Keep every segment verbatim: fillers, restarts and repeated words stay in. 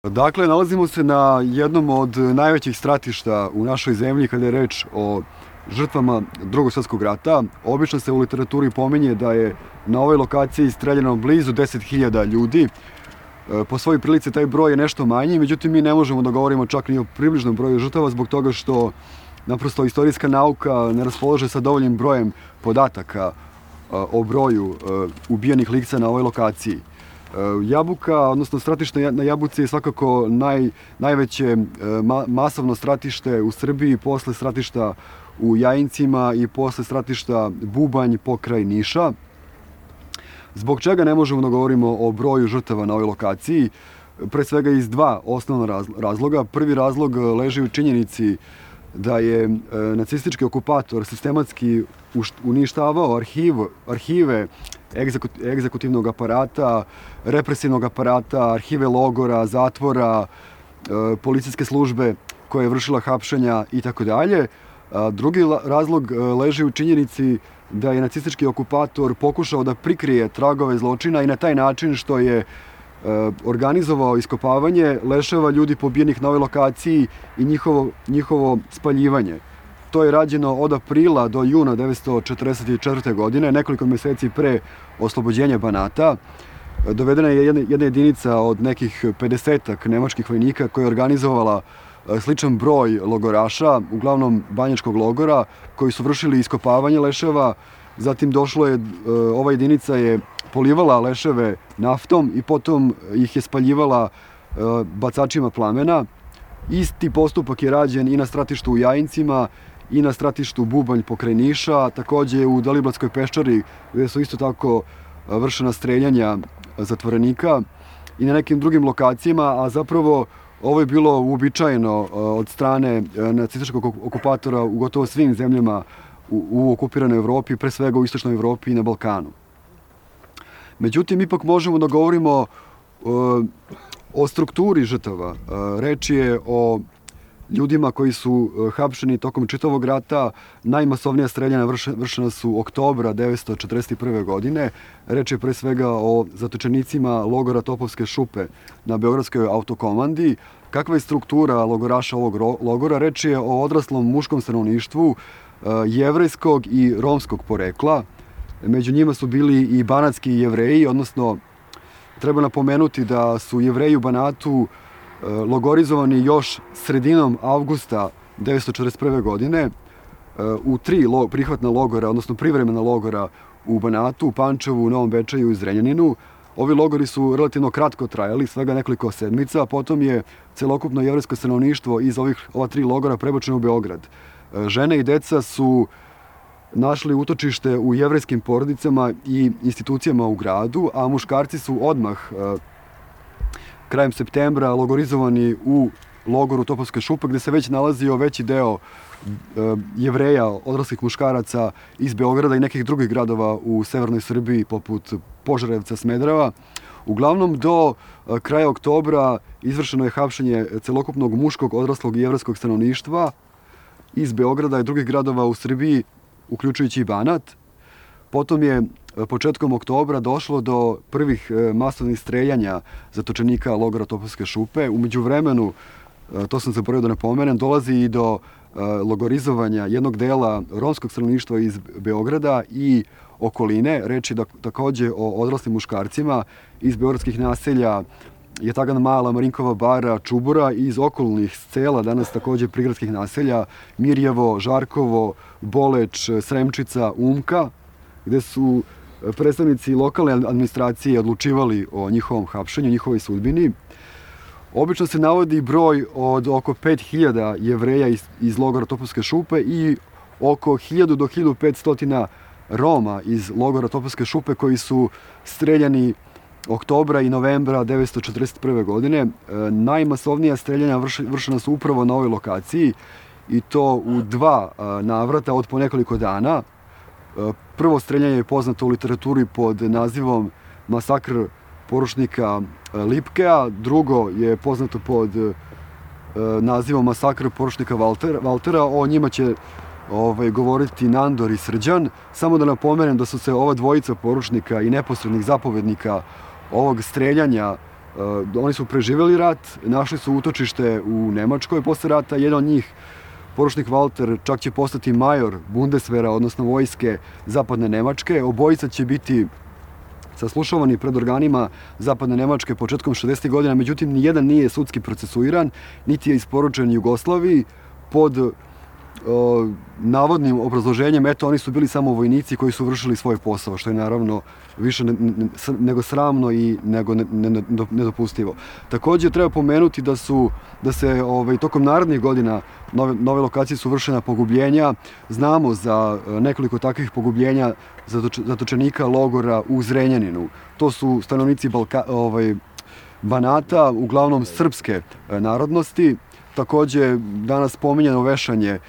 Dakle, nalazimo se na jednom od najvećih stratišta u našoj zemlji kada je reč o žrtvama Drugog svjetskog rata. Obično se u literaturi pominje da je na ovoj lokaciji streljano blizu deset hiljada ljudi. Po svojoj prilici taj broj je nešto manji, međutim mi ne možemo da govorimo čak ni o približnom broju žrtava zbog toga što naprosto istorijska nauka ne raspolaže sa dovoljnim brojem podataka o broju ubijenih lica na ovoj lokaciji. Jabuka, odnosno stratište na Jabuci je svakako naj, najveće ma, masovno stratište u Srbiji posle stratišta u Jajincima i posle stratišta Bubanj pokraj Niša. Zbog čega ne možemo da govorimo o broju žrtava na ovoj lokaciji? Pre svega iz dva osnovna razloga. Prvi razlog leži u činjenici da je nacistički okupator sistematski uništavao arhiv, arhive egzekutivnog aparata, represivnog aparata, arhive logora, zatvora, policijske službe koja je vršila hapšenja i tako dalje. Drugi razlog leži u činjenici da je nacistički okupator pokušao da prikrije tragove zločina i na taj način što je organizovao iskopavanje leševa ljudi pobijenih na ovoj lokaciji i njihovo, njihovo spaljivanje. To je rađeno od aprila do juna devetsto četrdeset četvrte. godine, nekoliko meseci pre oslobođenja Banata. Dovedena je jedna, jedna jedinica od nekih pedesetak nemačkih vojnika koja je organizovala sličan broj logoraša, uglavnom banjačkog logora, koji su vršili iskopavanje leševa. Zatim došlo je, ova jedinica je polivala leševe naftom i potom ih je spaljivala bacačima plamena. Isti postupak je rađen i na stratištu u Jajincima i na stratištu Bubanj pokraj Niša, takođe u Deliblatskoj peščari gde su isto tako vršena streljanja zatvorenika i na nekim drugim lokacijama, a zapravo ovo je bilo uobičajeno od strane nacističkog okupatora u gotovo svim zemljama u, u okupiranoj Evropi, pre svega u istočnoj Evropi i na Balkanu. Međutim, ipak možemo da govorimo o, o strukturi žrtava. Reč je o ljudima koji su hapšeni tokom čitavog rata. Najmasovnija streljana vršena su oktobra devetsto četrdeset prve. godine. Reč je pre svega o zatočenicima logora Topovske šupe na Beogradskoj autokomandi. Kakva je struktura logoraša ovog logora? Reč je o odraslom muškom stanovništvu jevrejskog i romskog porekla. Među njima su bili i banatski jevreji, odnosno treba napomenuti da su jevreji u Banatu logorizovani još sredinom avgusta devetsto četrdeset prve. godine u tri prihvatna logora, odnosno privremena logora u Banatu, u Pančevu, u Novom Bečeju i Zrenjaninu. Ovi logori su relativno kratko trajali, svega nekoliko sedmica, a potom je celokupno jevrejsko stanovništvo iz ovih, ova tri logora prebačeno u Beograd. Žene i deca su našli utočište u jevrejskim porodicama i institucijama u gradu, a muškarci su odmah krajem septembra logorizovani u logoru Topovske šupe, gde se već nalazio veći deo jevreja, odraslih muškaraca iz Beograda i nekih drugih gradova u severnoj Srbiji, poput Požarevca, Smedereva. Uglavnom, do kraja oktobra izvršeno je hapšenje celokupnog muškog, odraslog i jevrejskog stanovništva iz Beograda i drugih gradova u Srbiji, uključujući i Banat. Potom je početkom oktobra došlo do prvih masovnih streljanja zatočenika logora Topovske šupe. U međuvremenu, to sam zaboravio da napomenem, dolazi i do logorizovanja jednog dela romskog stanovništva iz Beograda i okoline. Reč je da, takođe o odraslim muškarcima iz beogradskih naselja Jatagan Mala, Marinkova bara, Čubura i iz okolnih sela, danas takođe prigradskih naselja, Mirjevo, Žarkovo, Boleč, Sremčica, Umka, gde su predstavnici lokalne administracije odlučivali o njihovom hapšenju, njihovoj sudbini. Obično se navodi broj od oko pet hiljada jevreja iz, iz logora Topovske šupe i oko hiljadu do hiljadu petsto Roma iz logora Topovske šupe koji su streljani oktobra i novembra devetsto četrdeset prve. godine. Najmasovnija streljanja vršena su upravo na ovoj lokaciji i to u dva navrata od po nekoliko dana. Prvo streljanje je poznato u literaturi pod nazivom masakr poručnika Lipkea, drugo je poznato pod nazivom masakr poručnika Valtera. O njima će ovaj, govoriti Nandor i Srđan. Samo da napomenem da su se ova dvojica poručnika i neposrednih zapovednika ovog streljanja Oni su preživjeli rat, našli su utočište u Nemačkoj posle rata. Jedan od njih, poručnik Walter, čak će postati major Bundeswehra, odnosno vojske zapadne Nemačke. Obojica će biti saslušavani pred organima zapadne Nemačke početkom šezdesetih godina, međutim, nijedan nije sudski procesuiran, niti je isporučen Jugoslaviji pod o, navodnim obrazloženjem, eto, oni su bili samo vojnici koji su vršili svoj posao, što je naravno više ne, ne, nego sramno i nego ne, ne, nedopustivo. Takođe, treba pomenuti da su, da se ovaj, tokom narednih godina nove, nove lokacije su vršena pogubljenja. Znamo za nekoliko takvih pogubljenja zatočenika logora u Zrenjaninu. To su stanovnici Balka, ovaj, Banata, uglavnom srpske narodnosti. Takođe, danas pominjeno vešanje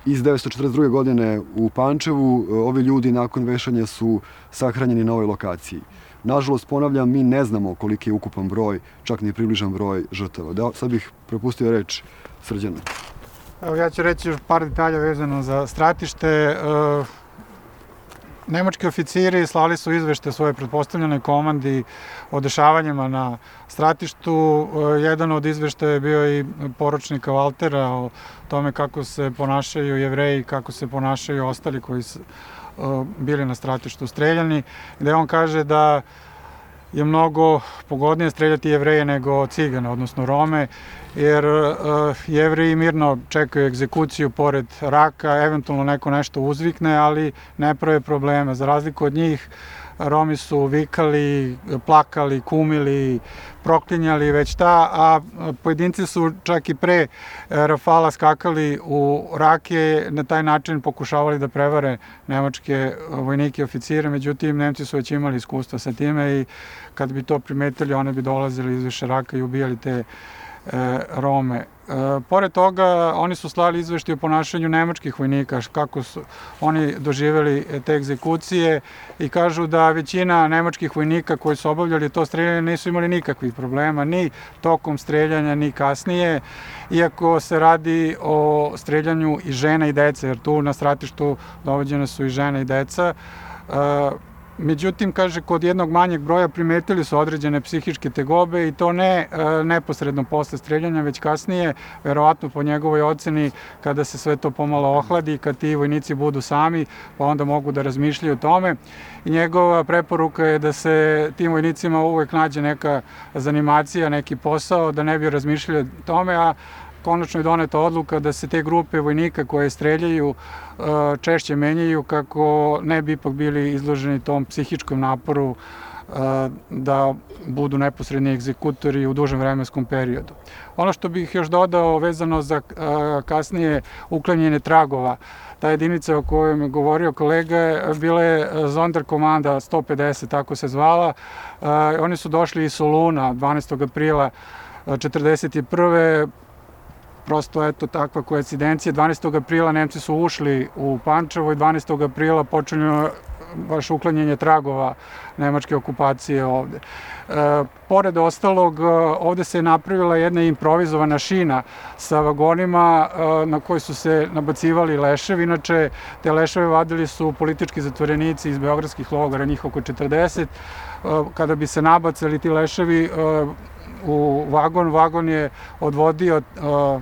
iz devetsto četrdeset druge. godine u Pančevu. Ovi ljudi nakon vešanja su sahranjeni na ovoj lokaciji. Nažalost, ponavljam, mi ne znamo koliki je ukupan broj, čak ni približan broj žrtava. Da, sad bih prepustio reč Srđanu. Evo, ja ću reći još par detalja vezano za stratište. Nemački oficiri slali su izvešte svoje pretpostavljenoj komandi o dešavanjima na stratištu. Jedan od izveštaja je bio i poručnika Waltera o tome kako se ponašaju Jevreji, kako se ponašaju ostali koji su bili na stratištu streljani, gde on kaže da je mnogo pogodnije streljati Jevreje nego Cigane, odnosno Rome, jer uh, Jevreji mirno čekaju egzekuciju pored raka, eventualno neko nešto uzvikne, ali ne prave probleme. Za razliku od njih, Romi su vikali, plakali, kumili, proklinjali već ta, a pojedinci su čak i pre rafala skakali u rake, na taj način pokušavali da prevare nemačke vojnike i oficire, međutim, Nemci su već imali iskustva sa time i kad bi to primetili, one bi dolazili iz više raka i ubijali te e, Rome. E, pored toga, oni su slali izveštaje o ponašanju nemačkih vojnika, kako su oni doživjeli te egzekucije i kažu da većina nemačkih vojnika koji su obavljali to streljanje nisu imali nikakvih problema, ni tokom streljanja, ni kasnije, iako se radi o streljanju i žena i dece, jer tu na stratištu dovođene su i žene i deca. E, Međutim, kaže, kod jednog manjeg broja primetili su određene psihičke tegobe i to ne e, neposredno posle streljanja, već kasnije, verovatno po njegovoj oceni, kada se sve to pomalo ohladi, kad ti vojnici budu sami, pa onda mogu da razmišljaju o tome. I njegova preporuka je da se tim vojnicima uvek nađe neka zanimacija, neki posao, da ne bi razmišljali o tome, a konačno je doneta odluka da se te grupe vojnika koje streljaju češće menjaju kako ne bi ipak bili izloženi tom psihičkom naporu da budu neposredni egzekutori u dužem vremenskom periodu. Ono što bih još dodao vezano za kasnije uklanjanje tragova, ta jedinica o kojoj je govorio kolega bila je Sonderkommanda sto pedeset, tako se zvala. Oni su došli iz Soluna dvanaestog aprila četrdeset prve. Prosto, eto, takva koincidencija. dvanaestog aprila Nemci su ušli u Pančevo i dvanaestog aprila počinju baš uklanjanje tragova nemačke okupacije ovde. E, pored ostalog, ovde se je napravila jedna improvizovana šina sa vagonima e, na koji su se nabacivali leševi. Inače, te leševe vadili su politički zatvorenici iz beogradskih logora, njih oko četrdeset. E, kada bi se nabacali ti leševi e, u vagon, vagon je odvodio e,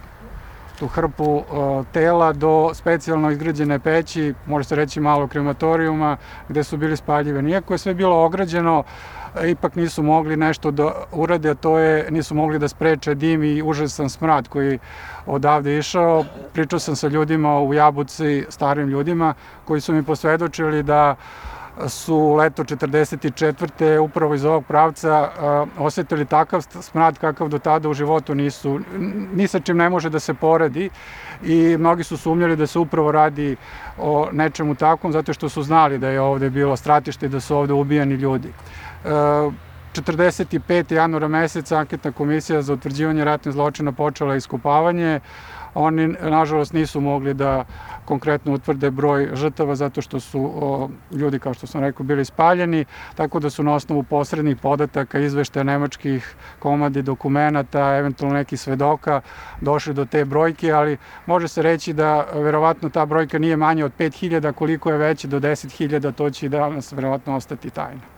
tu hrpu uh, tela do specijalno izgrađene peći, može se reći malo krematorijuma, gde su bili spaljivani. Iako je sve bilo ograđeno, ipak nisu mogli nešto da urade, a to je, nisu mogli da spreče dim i užasan smrad koji odavde išao. Pričao sam sa ljudima u Jabuci, starim ljudima, koji su mi posvedočili da su leto četrdeset četvrte upravo iz ovog pravca uh, osetili takav smrad kakav do tada u životu nisu, ni sa čim ne može da se poredi i mnogi su sumnjali da se upravo radi o nečemu takvom zato što su znali da je ovde bilo stratište i da su ovde ubijani ljudi. Uh, četrdeset petog januara meseca anketna komisija za utvrđivanje ratnih zločina počela iskopavanje. Oni, nažalost, nisu mogli da konkretno utvrde broj žrtava zato što su o, ljudi, kao što sam rekao, bili spaljeni, tako da su na osnovu posrednih podataka, izveštaja nemačkih komandi, dokumenata, eventualno nekih svedoka, došli do te brojke, ali može se reći da verovatno ta brojka nije manja od pet hiljada, koliko je veće do deset hiljada, to će i danas verovatno ostati tajna.